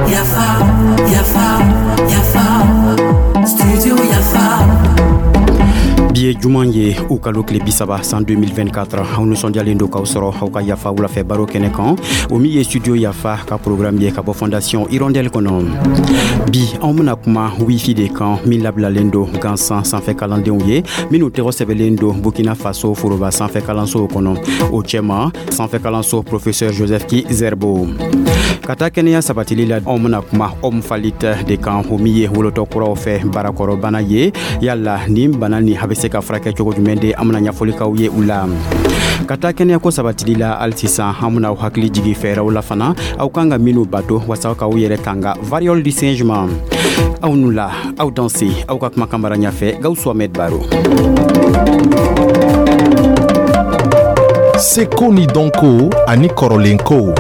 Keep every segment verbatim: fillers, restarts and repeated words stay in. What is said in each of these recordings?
Yafa, Yafa, Yafa, Studio Yafa. Bi ye juman ye, u kalo tile bisaba, san deux mille vingt-quatre. Aw nusɔndiyalen do k'aw sɔrɔ aw ka Yafa wulafɛ baro kɛnɛ kan, o min ye Studio Yafa ka programme ye ka bɔ Fondation Hirondelle kɔnɔ. Bi, anw bena kuma wifi de kan min labilalen do gansan sanfɛ kalandenw ye minw tɔgɔ sɛbɛlen do Burkina Faso foroba sanfɛ kalansow kɔnɔ, o cɛma sanfɛ kalanso Professeur Joseph Ki-Zerbo. Ka taa kɛnɛya sabatili la, anw bena kuma omphalite de kan, o min ye wolotɔ kuraw fɛ barakɔrɔbana ye. Yala nin bana ni a be se ka furakɛ cogo jumɛn de? An bena ɲɛfɔlikaw ye u la. Ka taa kɛnɛyako sabatili la hali sisan, an bena aw hakili jigi fɛɛrɛw la fana aw kan ka minw bato wasa k'aw yɛrɛ tanga variole du singe ma. Aw nu la, aw danse. Aw ka kumakan mara ɲafɛ, Gawusu Ahmed Baro. Seko ni dɔnko ani kɔrɔlenkow.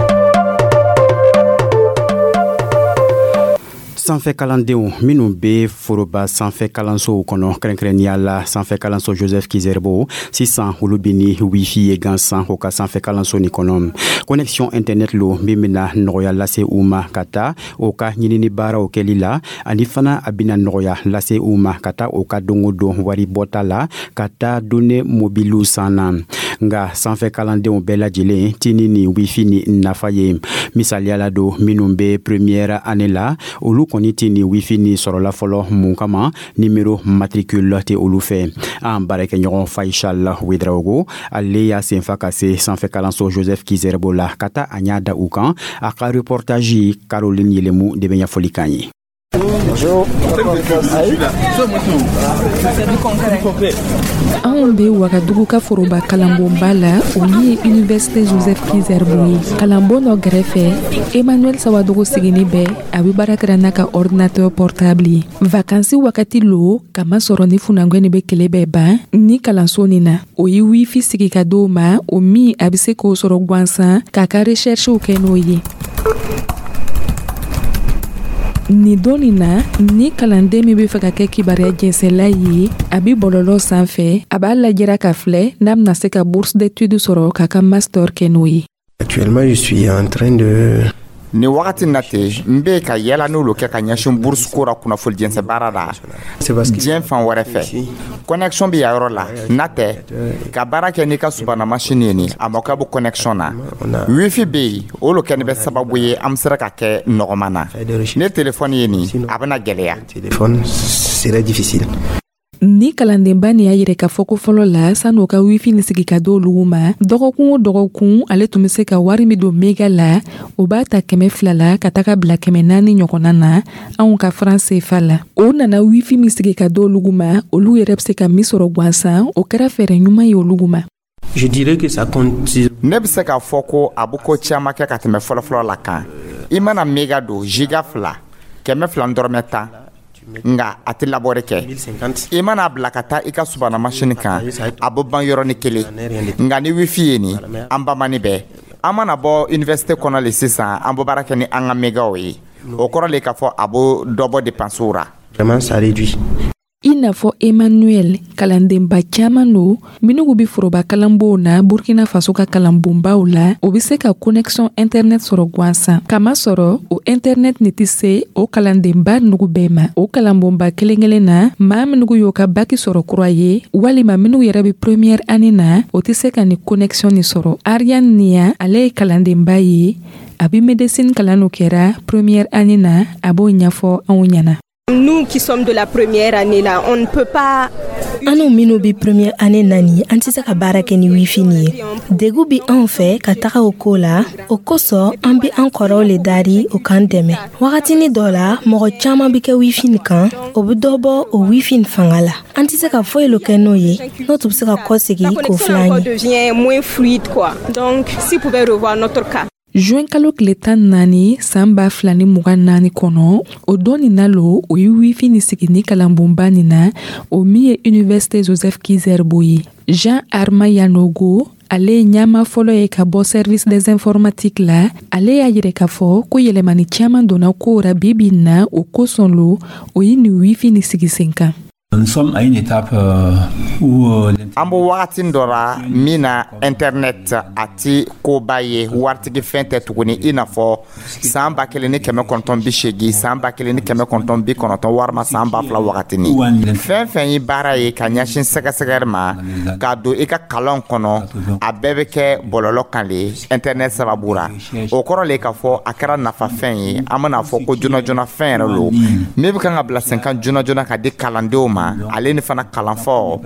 Sanfɛ kalandenw minw be foroba sanfɛ kalansow kɔnɔ, kɛrɛnkɛrɛnniya la sanfɛ kalanso Joseph Ki-Zerbo, sisan olu be ni wifi ye gansan o ka sanfɛ kalanso nin kɔnɔ. Connexion internet lo min bena nɔgɔya lase u ma ka taa o ka ɲinini baaraw kɛli la, ani fana a bena nɔgɔya lase u ma ka taa o ka don o don wari bɔta la, ka taa données mobilew san na. Nga sanfɛ kalandenw bɛɛ lajɛlen ti ni nin wifi ni nafa ye. Misaliya la don, minw be première année la, olu kɔni tɛ nin wifi ni sɔrɔla fɔlɔ. Mun kama? Numéro matricule tɛ olu fɛ. An baarakɛɲɔgɔn Faisal Wedraogo, ale y'a senfa ka se sanfɛ kalanso Joseph Ki-Zerbo la ka taa a ɲa da u kan. A ka reportage, Caroline Yelemu de bɛ ɲɛfɔli kan ye. Bonjour. Anw be Wagadugu ka foroba kalanbonba la, o min ye Université Joseph Ki-Zerbo ye. Kalanbon dɔ gɛrɛfɛ, Emmanuel Sawadogo sigini bɛ, a be baara kɛra n'a ka ordinateur portable ye. Vakansi wagati lo, kamasɔrɔ ni funangwɛni be kele bɛɛ ban ni kalanso nin na, o ye wifi sigi ka d'o ma, o min a be se k'o sɔrɔ gwansan k'a ka recherchew kɛ n'o ye. Nin don nin na, ni kalanden min be fɛ ka kɛ kibaruya jɛnsɛla ye, a bi bɔlɔlɔ sanfɛ, a b'a lajɛra ka filɛ n'a bena se ka bourse d'étude sɔrɔ k'a ka master kɛ n'o ye. Actuellement, je suis en train de Nin wagati na ten, n be ka yala n'olu kɛ ka ɲɛsin bourse ko ra kunnafoni jɛnsɛ baara la diɲɛ fan wɛrɛ fɛ. Connexion bɛ yan yɔrɔ la n'a tɛ ka baara kɛ n'i ka subana machine ye. Nin a mako bɛ connexion na, wifi bɛ yen. O lo kɛni bɛ sababu ye an bɛ sera ka kɛ nɔgɔman na. Ne telefɔni ye nin, a bɛna gɛlɛya. Téléphone serait difficile. Ni kalandenba nin y'a yɛrɛ k'a fɔ ko fɔlɔ la, san'o ka wifi ni sigi ka d'olugu ma, dɔgɔkun o dɔgɔkun ale tun be se ka wari min don méga la, o b'a ta kɛmɛ fila la ka taga bila kɛmɛ naani ɲɔgɔnna na anw ka franc C F A la. O nana wifi min sigi ka d'olugu ma, olu yɛrɛ be se ka min sɔrɔ gwansan, o kɛra fɛɛrɛ ɲuman ye olugu ma. Je dirais que ça compte. Ne bɛ se k'a fɔ ko a bɛ ko caman kɛ ka tɛmɛ fɔlɔfɔlɔ la kan. I mana méga don, giga fila, kɛmɛ fila dɔrɔmɛ tan, nga a tɛ labɔri kɛ. I mana bila ka taa i ka subana masini kan, a bɛ ban yɔrɔnin kelen. Nka ni wifi ye nin, an bamani bɛɛ an mana bɔ université kɔnɔ le sisan, an bɛ baara kɛ ni an ka mégaw ye. O kɔrɔ le k'a fɔ a bɛ dɔ bɔ dépenses ra. Vraiment, ça réduit. I n'a fɔ Emmanuel, kalandenba caaman lo minnugu be foroba kalanbow na Burkina Faso ka kalanbonbaw la, o be se ka connexion internet sɔrɔ gwansan, kamasɔrɔ o internet ni tɛ se o kalandenba nugu bɛɛ ma. O kalanbonba kelen kelen na, maa minugu y'o ka bac sɔrɔ kura ye, walima minnu yɛrɛ be première année na, o tɛ se ka ni connexion ni sɔrɔ. Ariane Niya, ale ye kalandenba ye, a be médecine kalan no kɛra première année na, a b'o ɲɛfɔ anw ɲɛna. Nous qui sommes de la première année là, on ne peut pas. Anw minnu bi première année na nin, an tɛ se ka baara kɛ ni wifi nin ye. Degu bi anw fɛ ka taga o ko la. O kosɔn, an bi an kɔrɔw le dari o k'an dɛmɛ. Wagatini dɔ la, mɔgɔ caaman bi kɛ wifi nin kan, o bi dɔ bɔ o wifi nin fanga la. An tɛ se ka foyi lo kɛ n'o ye, n'o tun be se ka kɔsegi k'o filɛ an ye. Devient moins fluide, quoi. Donc si pouvait revoir notre cas. Juin kalo tile tan naani san ba fila ni mugan naani kɔnɔ, o don nin na lo o ye wifi ni sigi ni kalanbonba nin na, o min ye Université Joseph Ki-Zerbo ye. Jean Arma Yanogo, ale ye ɲama fɔlɔ ye ka bɔ service des informatiques la. Ale y'a yɛrɛ k'a fɔ ko yɛlɛmani caaman donna kow ra bi bi na, o kosɔn lo o ye nin wifi ni sigi sen kan. Nous sommes à une étape euh, où euh, An bɛ wagati dɔ la min na, internet a ti koba ye, waritigi fɛn tɛ tuguni, i n'a fɔ san ba kelen ni kɛmɛ kɔnɔntɔn bi seegin, san ba kelen ni kɛmɛ kɔnɔntɔn bi kɔnɔntɔn, walima san ba fila wagatini. Fɛn fɛn ye baara ye ka ɲɛsin sɛgɛsɛgɛri ma k'a don i ka kalanw kɔnɔ, a bɛɛ bɛ kɛ bɔlɔlɔ kan le, internet sababu ra. O kɔrɔ le k'a fɔ a kɛra nafafɛn ye, an bɛna fɔ ko joona joona fɛn yɛrɛ lo min bɛ kan ka bila sen kan joona joona ka di kalandenw ma, ale ni fana kalanfaw,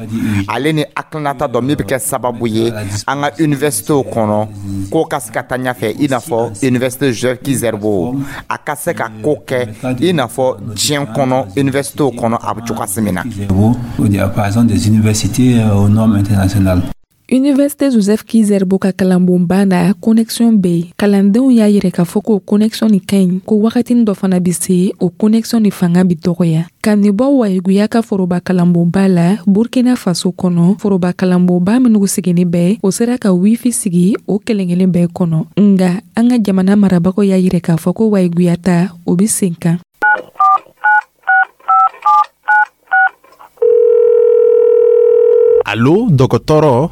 ale ni hakilinata dɔ min bɛ kɛ sababu ye an ka universitéw kɔnɔ ko ka se ka taa ɲɛfɛ, i n'a fɔ Université Joseph Ki-Zerbo, a ka se ka ko kɛ i n'a fɔ diɲɛ kɔnɔ universitéw kɔnɔ a bɛ cogoya min na. Au diapason des universités euh, aux normes internationales. Université Joseph Ki-Zerbo ka kalanbonba na, connexion bɛ yen. Kalandenw y'a yɛrɛ k'a fɔ k'o connexion nin ka ɲi, ko wagatinin dɔ fana bɛ se, o connexion nin fanga bɛ dɔgɔya. Ka nin bɔ Wayiguya ka foroba kalanbonba la Burkina Faso kɔnɔ, foroba kalanbonba minnu sigilen bɛ, o sera ka wifi sigi o kelen kelen bɛɛ kɔnɔ. Nga an ka jamana marabagaw y'a yɛrɛ k'a fɔ ko Wayiguya ta, o bɛ sen kan. Alo dɔgɔtɔrɔ.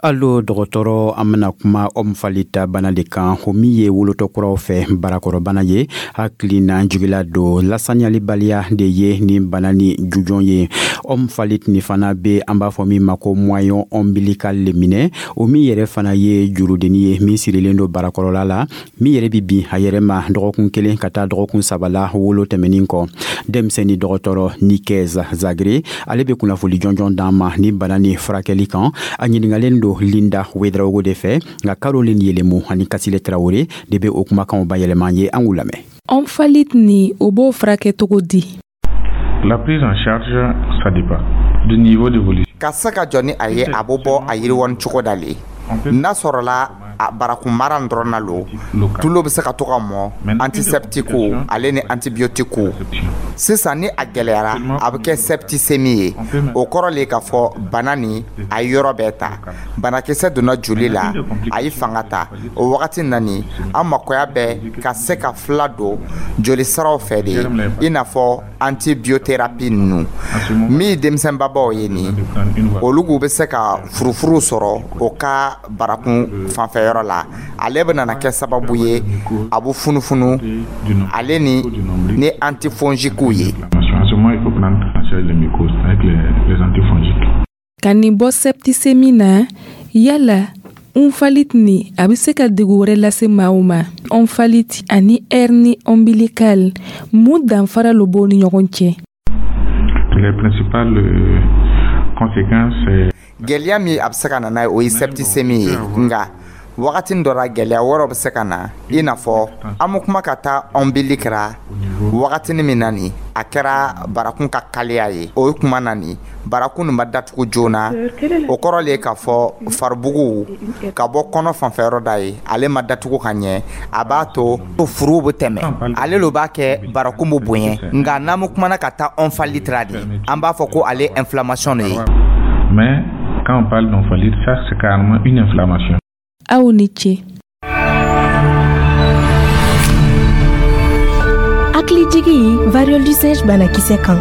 Alo dɔgɔtɔrɔ, an bena kuma omphalite bana de kan, o min ye wolotɔ kuraw fɛ barakɔrɔbana ye. Hakili na jigila don lasaniyalibaliya de ye ni bana ni jujɔn ye. Omphalite ni fana be an b'a fɔ min ma ko moignon ombilical le minɛ, o min yɛrɛ fana ye jurudenni ye min sirilen don barakɔrɔla la, min yɛrɛ bi bin a yɛrɛ ma dɔgɔkun kelen ka taa dɔgɔkun saba la wolo tɛmɛnin kɔ. Denmisɛnni dɔgɔtɔrɔ Nikez Zagre, ale be kunnafoli jɔnjɔn d'an ma ni bana ni furakɛli kan. A ɲiningalen don Linda Wedraogo de fɛ, nka Caroline Yelemu ani Kasile Traoré de be o kumakanw bayɛlɛma ye. An k'u lamɛn. Omphalite ni, o b'o furakɛ cogo di? La prise en charge, ça dépend du niveau d'évolution. Ka se ka jɔ ni a ye, a bɛ bɔ a yiriwani cogo da le. N'a sɔrɔla a barakun mara dɔrɔn na lo, tulo bɛ se ka to ka mɔ antiseptiquew ale ni antibiotiquew. Sisan ni a gɛlɛyara, a bɛ kɛ septicémie ye. O kɔrɔ le k'a fɔ bana ni a ye yɔrɔ bɛɛ ta, banakisɛ donna joli la, a ye fanga ta. O wagati nani, an makoya bɛ ka se ka fila don joli siraw fɛ de, i n'a fɔ antibiothérapie ninnu. Min ye denmisɛnbabaw ye nin, olu bɛ se ka furufuru sɔrɔ o ka barakun fanfɛyɔrɔ la. Ale bɛ nana kɛ sababu ye a bɛ funufunu, ale ni ni antifongiquew ye. En ce moment, il faut prendre en charge les mycoses avec les, les antifongiques. Ka nin bɔ septicémie na, yala omphalite ni, a bɛ se ka degun wɛrɛ lase maaw ma? Omphalite ani hernie ombilicale, mun danfara lo b'o ni ɲɔgɔn cɛ? Les principales euh, conséquences, c'est Gɛlɛya min a bɛ se ka na n'a ye, o ye septicémie ye. Nka wagati dɔ la, gɛlɛya wɛrɛw bɛ se ka na, i n'a fɔ an bɛ kuma ka taa ombilic ra wagatinin min na nin, a kɛra barakun ka kaliya ye. O ye kuma na nin, barakun nin ma datugu joona. O kɔrɔ le k'a fɔ faribugu ka bɔ kɔnɔ fanfɛyɔrɔ da ye, ale ma datugu ka ɲɛ, a b'a to furuw bɛ tɛmɛ, ale lo b'a kɛ barakun bɛ bonya. Nka n'an bɛ kumana ka taa omphalite ra de, an b'a fɔ ko ale inflammation de ye. Mais quand on parle d'omphalite, ça c'est carrément une inflammation. Aw ni ce. Hakilijigi variole du singe banakisɛ kan.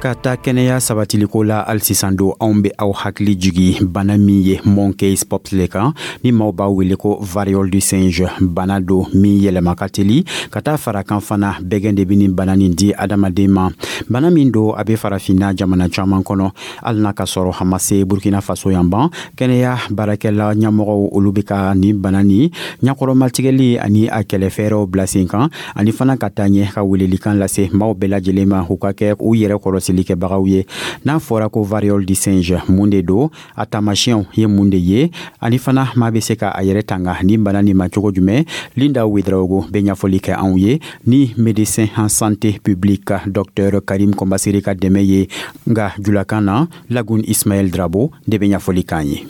Ka taa kɛnɛya sabatiliko la hali sisan don, anw be aw hakili jigi bana min ye monkey pox le kan, ni maaw b'a wele ko variole du singe. Bana don min yɛlɛma ka teli ka taa fara kan fana, bɛgɛn de be nin bana nin di adamaden ma. Bana min don, a be farafinna jamana caaman kɔnɔ, hali n'a ka sɔrɔ a ma se Burkina Faso yan ban. Kɛnɛya baarakɛla ɲɛmɔgɔw, olu be ka nin bana nin ɲakɔrɔmatigɛli ani a kɛlɛfɛɛrɛw bila sen kan, ani fana ka taa ɲɛ ka welelikan lase maaw bɛɛ lajɛlen ma, u ka kɛ u yɛrɛ kɔlɔsi kɛbagaw ye. N'a fɔra ko variole du singe, mun de don? A taamasiyɛnw ye mun de ye? Ani fana maa bɛ se ka a yɛrɛ tanga ni bana nin ma cogo jumɛn? Linda Wedraogo bɛ ɲɛfɔli kɛ anw ye ni médecin en santé publique docteur Karim Kɔnbasere ka dɛmɛ ye. Nka julakan na, Lagun Ismaël Drabo de bɛ ɲɛfɔli k'an ye.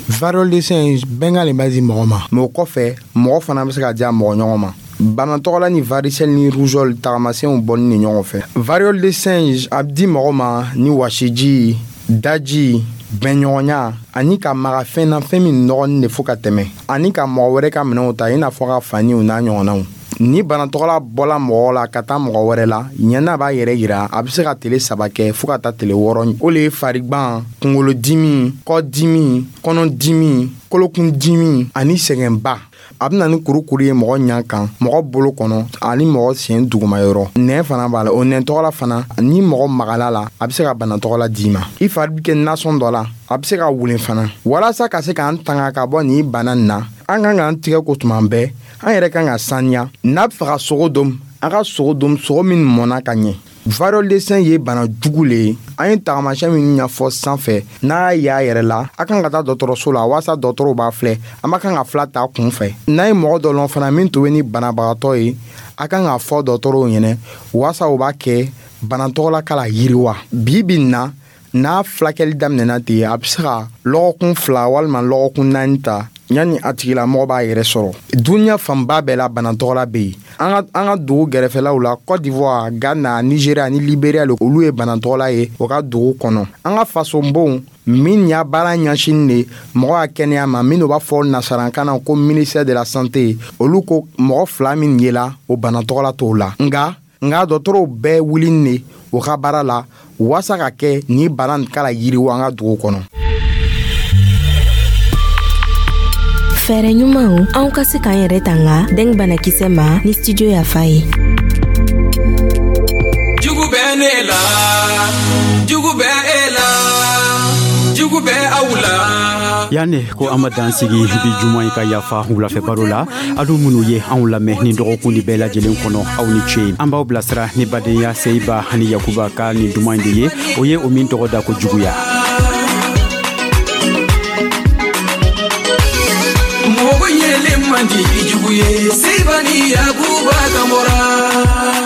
Variole du singe, bɛnkan le b'a di mɔgɔ ma, mais o kɔfɛ mɔgɔ fana bɛ se ka diya mɔgɔ ɲɔgɔn ma. Bana tɔgɔla ni varicelle ni rougeole tagamasiyɛnw bɔli ni ɲɔgɔn fɛ. Variole de singe a bɛ di mɔgɔ ma ni wasiji, daji, bɛnɲɔgɔnya, ani ka maga fɛn na, fɛn min nɔgɔnin de fo ka tɛmɛ, ani ka mɔgɔ wɛrɛ ka minɛnw ta, i n'a fɔ ka faniw n'a ɲɔgɔnnaw. Ni banatɔgɔla bɔla mɔgɔ la ka taa mɔgɔ wɛrɛ la, ɲɛna b'a yɛrɛ yira, a bɛ se ka tele saba kɛ fɔɔ ka taa tele wɔɔrɔ. O le ye farigban, kunkolodimi, kɔdimi, kɔnɔdimi, kolokundimi ani sɛgɛnba. A bɛ na ni kurukuru ye mɔgɔ ɲa kan, mɔgɔ bolo kɔnɔ ani mɔgɔ sen dugumayɔrɔ. Nɛn fana b'a la. O nɛn tɔgɔla fana, ni mɔgɔ magala la, a bɛ se ka bana tɔgɔla d'i ma. I fari bɛ kɛ nasɔn dɔ la, a bɛ se ka wulen fana. Walasa ka se k'an tanga ka bɔ nin bana nin na, an kan k'an tigɛ ko tuma bɛɛ, an yɛrɛ kan ka saniya. N'a bɛ fɛ ka sogo dom, an ka sogo dom sogo min mɔnna ka ɲɛ. Variole de singe ye bana jugu le ye. An ye tagamasiyɛn minnu ɲɛfɔ sanfɛ, n'a y'a yɛrɛ la, a kan ka taa dɔgɔtɔrɔso la walasa dɔgɔtɔrɔw b'a filɛ. An ma kan ka fila ta kun fɛ. N'a ye mɔgɔ dɔ lɔn fana min tun bɛ ni banabagatɔ ye, a kan k'a fɔ dɔgɔtɔrɔw ɲɛnɛ walasa u b'a kɛ bana tɔgɔla k'a la yiriwa. Bi bi in na, n'a fulakɛli daminɛna ten, a bɛ se ka lɔgɔkun fila walima lɔgɔkun naani ta yanni a tigilamɔgɔ b'a yɛrɛ sɔrɔ. Duniɲa fanba bɛɛ la, bana tɔgɔla bɛ yen. An ka an ka dugu gɛrɛfɛlaw la, Cote d'Ivoire, Ghana, Nigeria ni Liberia le, olu ye bana tɔgɔla ye o ka dugu kɔnɔ. An ka fasonbonw min y'a baara ɲɛsin de mɔgɔ ka kɛnɛya ma, minnu b'a fɔ nasarankan na ko ministère de la Santé, olu ko mɔgɔ fila min yela, o bana tɔgɔla t'o la. Nka nka dɔgɔtɔrɔw bɛɛ wuli de o ka baara la walasa ka kɛ ni bana nin k'a la yiriwa an ka dugu kɔnɔ. Fɛɛrɛ ɲumanw anw ka se k'an yɛrɛ tanga dengue banakisɛ ma ni Studio Yafa ye. Jugu bɛ ne la, jugu bɛ e la, jugu bɛ aw la. Yanni ko an ma dan sigi bi juma in ka Yafa wulafɛ baro la, aw minnu ye anw lamɛn ni dɔgɔkun ni bɛɛ lajɛlen kɔnɔ, aw ni ce. An b'aw bilasira ni badenya Seyiba ani Yakuba ka nin duman in de ye, o ye o min tɔgɔ da ko juguya. Mɔgɔ yelen man di i jugu ye, Seyiba ni Yakuba kan bɔra.